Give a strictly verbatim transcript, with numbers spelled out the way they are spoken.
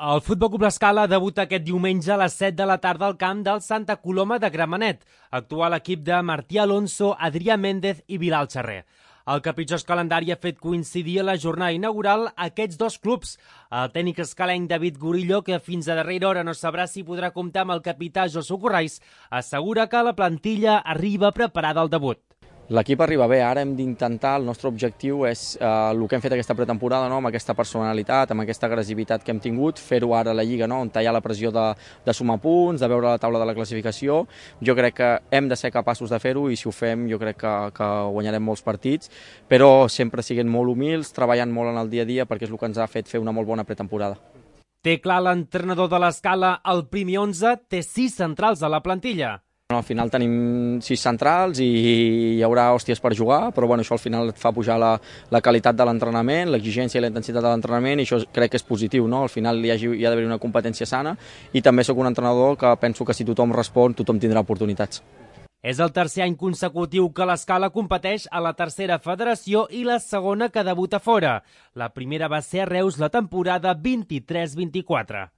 El Futbol Club L'Escala debuta aquest diumenge a les set de la tarda al camp del Santa Coloma de Gramenet. Actua l'equip de Martí Alonso, Adrià Méndez i Bilal Xerrer. El capritxós calendari ha fet coincidir a la jornada inaugural aquests dos clubs. El tècnic escalenc David Gurillo, que fins a darrera hora no sabrà si podrà comptar amb el capità Josu Corrais, assegura que la plantilla arriba preparada al debut. L'equip arriba bé, ara hem d'intentar, el nostre objectiu és eh, el que hem fet aquesta pretemporada, no? Amb aquesta personalitat, amb aquesta agressivitat que hem tingut, fer-ho ara a la Lliga, no? On hi ha la pressió de, de sumar punts, de veure la taula de la classificació. Jo crec que hem de ser capaços de fer-ho i si ho fem jo crec que, que guanyarem molts partits, però sempre siguent molt humils, treballant molt en el dia a dia perquè és el que ens ha fet fer una molt bona pretemporada. Té clar l'entrenador de l'Escala, el primer onze té sis centrals a la plantilla. Al final tenim sis centrals i hi haurà hòsties per jugar, però bueno, això al final et fa pujar la, la qualitat de l'entrenament, l'exigència i la intensitat de l'entrenament, i això crec que és positiu, no? Al final hi ha, hi ha d'haver una competència sana i també sóc un entrenador que penso que si tothom respon, tothom tindrà oportunitats. És el tercer any consecutiu que l'Escala competeix a la tercera federació i la segona que debuta fora. La primera va ser a Reus la temporada vint-i-tres vint-i-quatre.